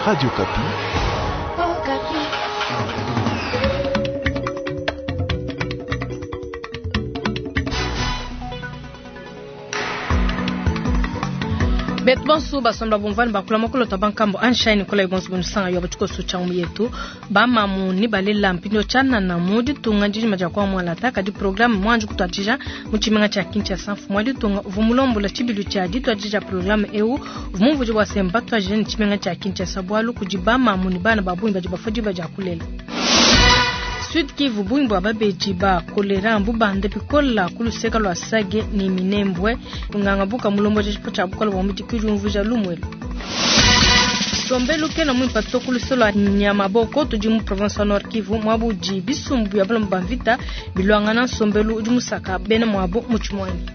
Radio Okapi. Betu bonso basomba bumvani bakula mokolo bankambo anshine kola bonso bunusanga yo batiko changu yetu bamamu ni balela mpindio chanana mu ditunga ndijima dia kwa mwalata kadi programme mwanji kutwatija mu tshimenga tshia Kinshasa mfumu wa ditunga uvua mulombola tshibilu tshia dituadija programme eu uvua mumvuije bua se mbatuadije ne tshimenga tshia Kinshasa bualu kudi bamamu ne bana ba bungi badi bafua diba dia kulela. Sud Kivu bungi bua babedi ba kolera mbubande bikola ku luseka lua Sage ne Minembwe nganga buka mulombola tshipo tshia bukola bua mubidi kudiumvuija lumuelu. Nsombelu kena muimpe to ku luse lua Nyamaboko tudi mu province wa Nord Kivu muaba udi bisumbu bia balomba ba mvita biluangana nsombelu udi musaka bena muabo mu tshimuangi.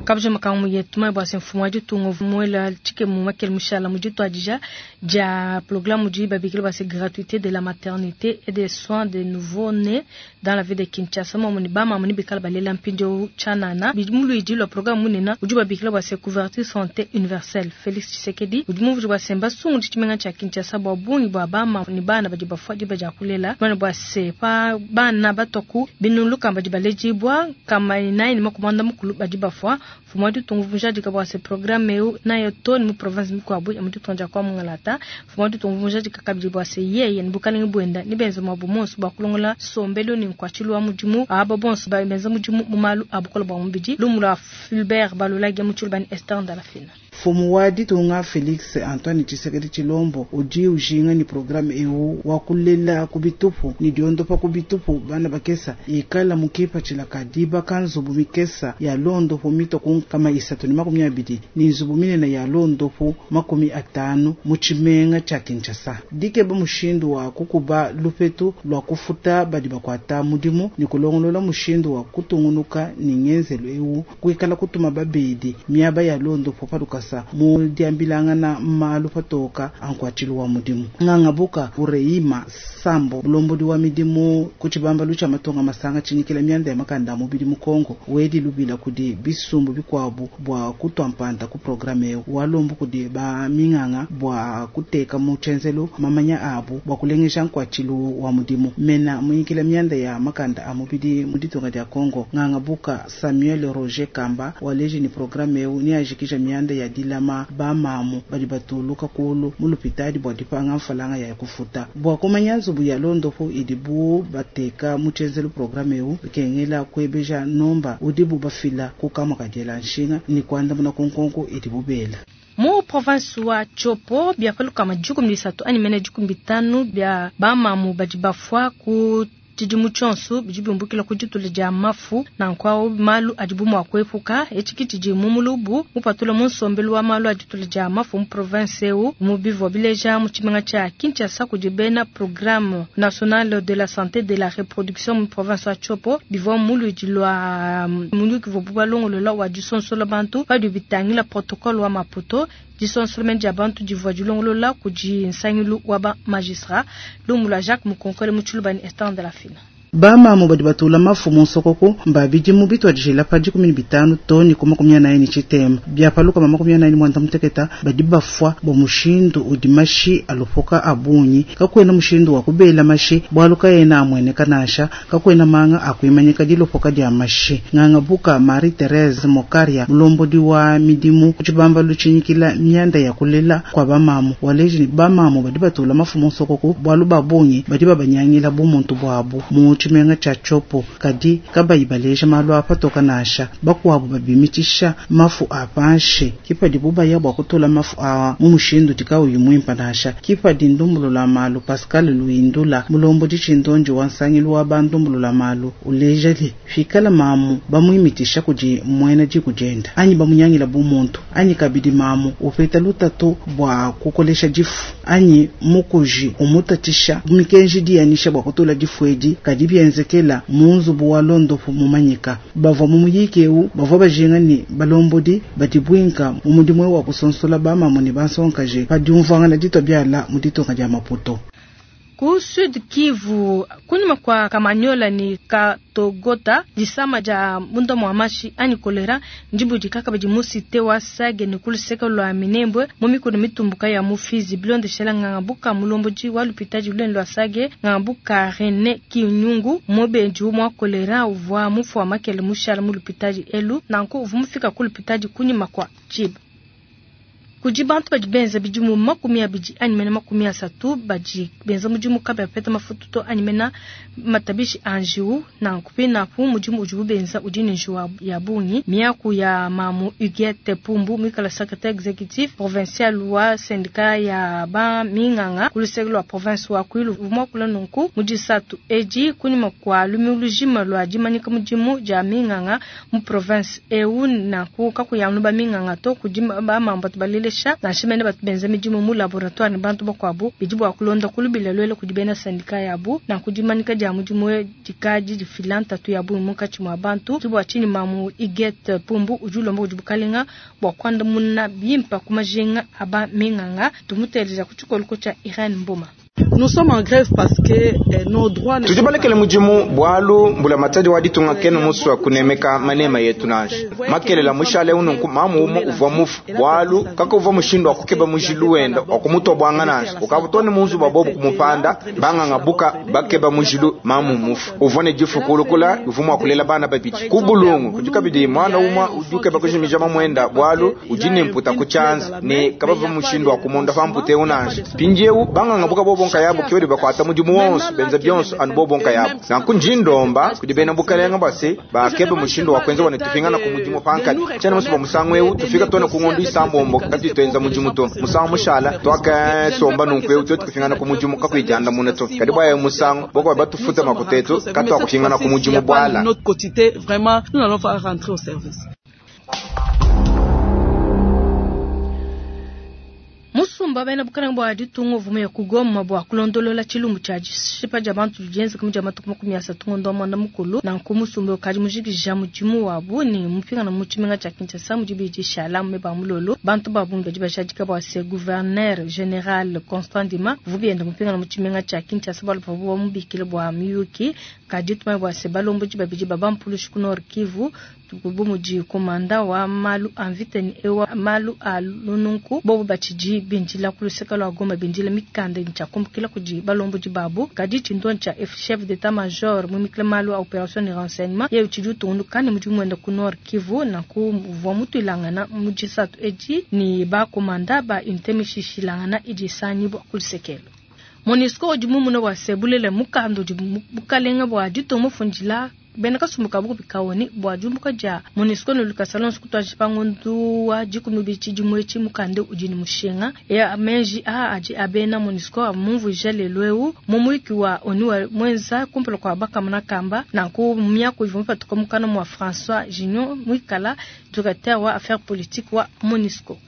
Kabuja makangu yetu mai bua se mfumu wa ditunga uvua muela tshikemu makele mushala mu dituadija dia programme udi babikila bua se gratuité de la maternité et des soins des nouveaux-nés dans la ville de Kinshasa muamu ne bamamu ne bikala balela mpindieu tshianana bidi mu luidi lua programme munene udi babikila bua se couverture santé universelle. Felix Tshisekedi udi mumvuije bua se mbasungule tshimenga tshia Kinshasa bua bungi bua bamamu ne bana badi bafua diba dia kulela mane bua se pa bana batua ku binunu lukama badi baledibua nkama inayi ne makumi muanda mukulu badi bafua. Mfumu wa ditunga uvua mujadika bua se programme eu nayo to ne mu province mikuabu ya mu ditunga dia kwa Mungalata. Mfumu wa ditunga uvua mujadika kabidi bua se yeye ne bukalenge buenda ne benza muabu monso bua kulongola nsombelu ne nkuatshilu wa mudimu aba bonso benza mudimu mu malu a bukole bua mubidi. Lumu lua Fulbert Balulage mu Tshiluba ne Esther Ndalafina. Mfumu wa ditunga Felix Antoine Tshisekedi Tshilombo udi ujinga ne programme eu wa kulela ku bitupu ne diondopa ku bitupu bana bakesa ikala mu kipatshila ka dibaka nzubu mikesa ya londopu mitua ku nkama isatu ne makumi abidi ne nzubu minene ya londopu makumi atanu mu tshimenga tshia Kinshasa. Dikeba mushindu wa kukuba lupetu lua kufuta badi bakuata mudimu ne kulongolola mushindu wa kutungunuka ne ngenzelu eu kuikala kutuma babedi miaba ya londopu pa lukasa mu diambilangana malu patoka a nkuatshilu wa mudimu. Ngangabuka Ureima Sambo mulombodi wa midimu ku tshibambalu tshia matunga masanga tshinyikila mianda ya makanda a mubidi mu Kongo wedi lubila kudi bisumbu bikuabu bua kutua mpanda ku programme eu walombu kudi ba minganga bua kuteka mu tshenzelu mamanya abu bua kulengeja nkuatshilu wa mudimu. Mena munyikila mianda ya makanda a mubidi mu ditunga dia Kongo Ngangabuka Samuel Roger Kamba waleji ni programme eu niajikija mianda ya dilama bamamu badi batuluka kulu mu lupitadi bua dipanga mfalanga ya kufuta bua kumanya nzubu ya londopu idibu bateka mu tshenzelu programme eu bikengela kuebeja nomba udibu bafila ku kamua ka diela nshinga ni kuandamuna ku nkonko idibu bela. Mu province wa Tshopo bia paluka majukumi bisatu anyi mene jukumi bitanu bia bamamu badi bafua ku tshidimu tshionso bidi biumbukila ku ditula dia mafu nanku malu adibu mua kuepuka. Etshi ke tshidi mu mulubu mupatula mu nsombelu wa malu a ditula dia mafu mu province eu mu bivua bileja mu tshimenga tshia Kinshasa kudi bena programme national de la santé de la reproduction mu province wa Tshopo bivua mu luidi lua muyuki uvua balongolola wa disonsola bantu badi bitangila protocole wa Maputo. Disonsolomene dia bantu divua dilongolola kudi nsangilu wa ba magistrat lumu lua Jacques Mukonkole mu Tshiluba ne Esther Ndalafina. Bamamu badi batula mafu mu nsokoko mba bidimu bituadijila pa dikumi ne bitanu to ne ku makumi anayi ne tshitema bia paluka ma makumi anayi ne muanda muteketa badi bafua bua mushindu udi mashi alopoka a bungi. Kakuena mushindu wa kubela mashi bualu kaena amueneka nansha, kakuena manga akuimanyika dilopoka dia mashi. Ngangabuka Marie Therese Mokaria mulombodi wa midimu ku tshibambalu tshinyikila mianda ya kulela kua bamamu waleji ne bamamu badi batula mafu mu nsokoko bualu ba bungi badi babanyangila bumuntu buabu mu tshimenga tshia Tshopo kadi kabayi baleja malu a patoka nansha. Bakuabu babimitisha mafu a panshi kipadi bubaya bua kutula mafu a mu mushindu dikauyi muimpa nansha. Kipadi ndumbulula malu Pascal Luindula mulombodi tshindonji wa nsangilu wa bandumbulula malu uleja li fikala mamu bamuimitisha kudi muena diku dienda anyi bamunyangila bumuntu anyi kabidi mamu upeta lutatu bua kukolesha difu anyi mukuji umutatisha mikenji dianisha bua kutula difu edi kadi bienzekela mu nzubu wa londopu mumanyika. Bavua mu muyiki eu bavua bajinga ne balombodi badi buinka mu mudimu wa kusonsola bamamu ne bansonkaje pa diumvuangana ditua biala mu ditunga dia Maputo. Ku Sud Kivu, kunyima kua Kamanyola ne Katogota, disama dia munda mua mashi anyi kolera ndibudika kabidi mu cité wa Sage ne ku luseke lua Minembwe mu mikuna mitumbuka ya mu Fizi. Bilondeshela nganga buka mulombodi wa lupitadi lunene lua Sage, nganga buka Rene Kinyungu, mubedi mua kolera uvua mufua makele mushala mu lupitadi elu, nanku uvua mufika ku lupitadi kunyima kua tshiba. Kudi bantu badi benza bidimu 20 anyi mena 30 badi benza mudimu kabayi bapeta mafutu to anyi mena matabishi a njiwu. Nanku pinapu mudimu udibu benza udi ne njiwu ya bungi. Miaku ya mamu Huguette Pumbu muikala secrétaire exécutif provincial wa syndicat ya ba minganga ku luseke lua province wa Kwilu muakula nunku mu disatu edi kunyima kua lumingu lujima lua dimanyika mudimu dia minganga mu province eu. Nanku kakuyanu ba minganga to kudi ba mambu batu balelesha nansha mene batu benza midimu mu laboratoire ne bantu bakuabu bidi bua kulonda kulubila lwele kudi bena syndicat yabu. Nanku dimanyika dia mudimu dikadi difila ntatu ya bungi munkatshi mua bantu. Bua tshinyi mamu Huguette Pumbu udi ulomba kudi bukalenga bua kuandamuna bimpa ku majinga aba minganga. Tumuteleja ku tshikoloko tshia Irene Mboma. Nous sommes en grève parce que nos droits ne Tudi balekele mudimu bwalu mbula matadi wa ditunga kenu muswa kunemeka manema yetu nansha makelela mushale ununku mamu umo uvwa mufu bwalu kaka uvwa mushindu wa kukeba mujilu wenda wa kumutwa bwanga nansha ukabutoni munzu bwa bobu kumupanda banganga buka bakeba mujilu mamu mufu uvwa ne difu kulukula uvwa mwakulela bana babidi kubulungu kudikabidi mwana umwa udukeba kujimija mamwenda bwalu ujine mputa kuchanza ne kabava mushindu wa kumonda pampute unansha pinjeu banganga buka bobonka yabo kiwedi bakwata mudimu wonso benza byonso anu bobonka yabo nanku njindomba kudi bena bukalenga bwase bakebe mushindu wa kwenza wane tufingana ku mudimu pankati tshiena musu bwa musangu eu tufika tone ku ng'ondu isambombo kati twenza mudimu to musangu mushala twakasomba nunku eu twetu kufingana ku mudimu kakuijanda muna to kadi bwa musangu boko batufuta makutetu kati wakufingana ku mudimu bwala. Notre quotité vraiment nous allons faire rentrer au service. Musumba bena bukalenga bwa ditunga uvuma ya kugoma bwa kulondolola tshilumbu tshia dishipa dia bantu dienza kamu dia matuku 30 ngondo mwanda mukulu. Nanku musumba ukadi mujikija mudimu wabu ne mupingana mu tshimenga tshia Kinshasa mudi bidishala meba mulolo. Bantu ba bungi badi bajadika bua se gouverneur général Constant Ndima vubienda mupingana mu tshimenga tshia Kinshasa bua bavua bamubikile bua miyuki. Kadi tumanye bua se balombodi babidi babampulushi ku Nord Kivu bu mudi komanda wa malu a mvita ne ewa malu a lununku bobu batshidi bindila ku luseke lua Goma bindila mikanda ntshiakumbukila kudi balombodi babu. Kadi tshintu tshia chef d'état major mumikile malu a opération de renseignement ye utshidi utungunuka ne mudimu wenda ku Nord Kivu. Nanku uvua mutuilangana mu disatu edi ni bakomanda ba unité mishishilangana idi isangibua ku lusekelo. MONUSCO udi mumuna wa sebulele mukanda udi bukalenga bua ditunga mufundila bena kasumbu ka bukubi kaoni bua diumbuka dia MONUSCO ne lukasa lonso kutuadija pa ngondu wa 12 tshidimu etshi mukanda udi ne mushinga. Ya menji a adi abena MONUSCO amumvuija lelu eu mu muyuki wa ONU wa mwenza kumpala kua bakamuna kamba. Nanku miaku ivua mupatuka mukana mua François Gignon muikala directeur wa affaires politiques wa MONUSCO.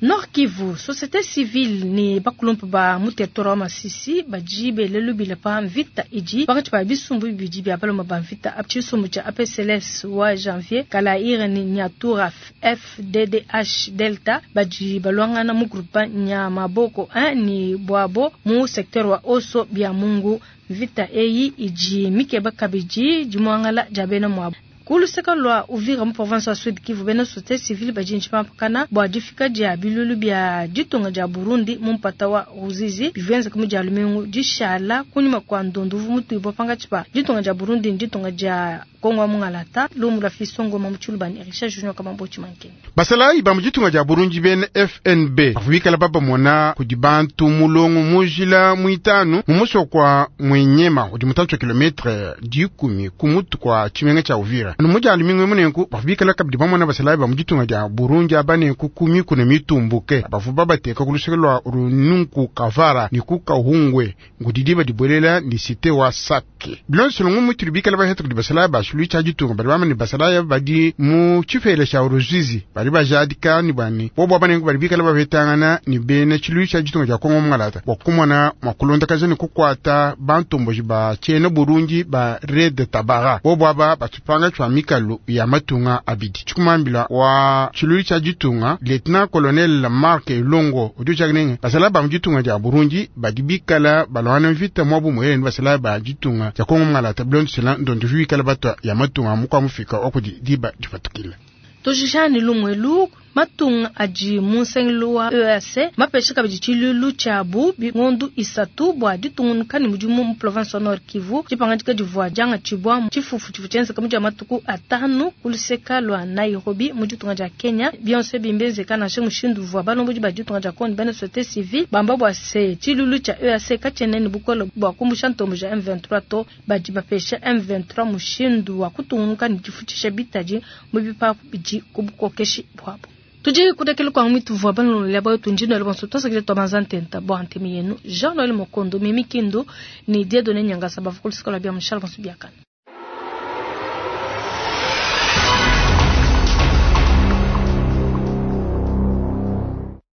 Nord Kivu, société civile ni bakulumpa ba mu territoire wa Masisi badi belelu bila pa mvita idi pakati pa bisumbu bibidi bia baloma ba mvita tshisumbu tshia APCLS wa Janvier Kalaire ni Nyatura FDDH Delta badi balwangana mu groupe Nyamaboko 1 ni Bwabo mu secteur wa Oso bia Mungu. Mvita eyi idi mikeba kabidi dimwangala dia bena mwabo. Kuluseka lua Uvira mu province wa Sud Kivu bena société civile badi ntshipapakana bua difika dia bilulu bia ditunga dia Burundi mu mpata wa Ruzizi bivenza kamu dia lumingu dishala kunyuma kwa ndondu uvu mutuibwa pangatshi pa ditunga dia Burundi ni ditunga dia Kongo wa Mungalata. Lumu lwa Fisongo ma Mutshulubani Richard Junior Kamambo Tshimanke. Basalayi ba mu ditunga dia Burundi bena FNB bavubikala babamona kudi bantu mulongo mujila muitanu mu musoko kwa Mwenyema udi mutantshi wa kilometre 10 ku mutu kwa tshimenga tshia Uvira. Anu mudia lumingu munenku bavubikala kabidi bamona basalayi ba mu ditunga dia Burundi abanenku ku mikuna mitumbuke bavu babateka ku luseke lua Rununku Kavara ni ku Kahungwe ngudidi badibuelela ni cité wa Sake. Bilonso lungu mutuli bikala baheta kudi basalayi ba tshilu tshia ditunga badi bamane basalayi badi mu tshifele tshia Ruzizi badi bajadika ni bani bobo abanenku badi bikala babetangana ni bena tshilu tshia ditunga dia Kongo Mungalata bua kumona mua kulondakaja ni kukuata bantomboji ba tshiena Burundi ba Red Tabara bobo aba batupanga pa mikalu ya matunga abidi. Tshikumambila wa tshilulu tshia ditunga Lieutenant Colonel Mark Elongo udi utshiakinenge basalayi ba mu ditunga dia Burundi badi bikala balwana mvita mwabu muele basalayi ba ditunga dia Kongo Mungalata bilondeshela ndondo bikala batwa ya matunga mukwa mufika wa kudi diba dipatukila. Tujijani lumwelu matunga adi mu nsangilu wa EAC mapesha kabidi tshilulu tshiabu bingondu isatu bua ditungunuka ne mudimu mu province wa Nord Kivu. Dipangadika divua diangatshibua tshifufu tshivua tshienzeka mu dia matuku atanu ku luseka lua Nairobi mu ditunga dia Kenya. Bionso ebi mbienzeka nansha mushindu uvua balombodi ba ditunga dia Congo bena société civile bamba bua se tshilulu tshia EAC katshiena ne bukole bua kumbusha ntombo ja M23 to. Badi bapesha M23 mushindu wa kutungunuka ne difutshisha bitadi mu bipapu bidi ku bukokeshi buabu. Tudi kudekela kwa mwitu vwa bano lya bayo tunjino le bonso tosakile to manzantenta bo antemi yenu Jean Noël Mokondo Mimi Kindo ni Dieudonné Nyangasa bavukulu sikola bia mshala bonso biakana.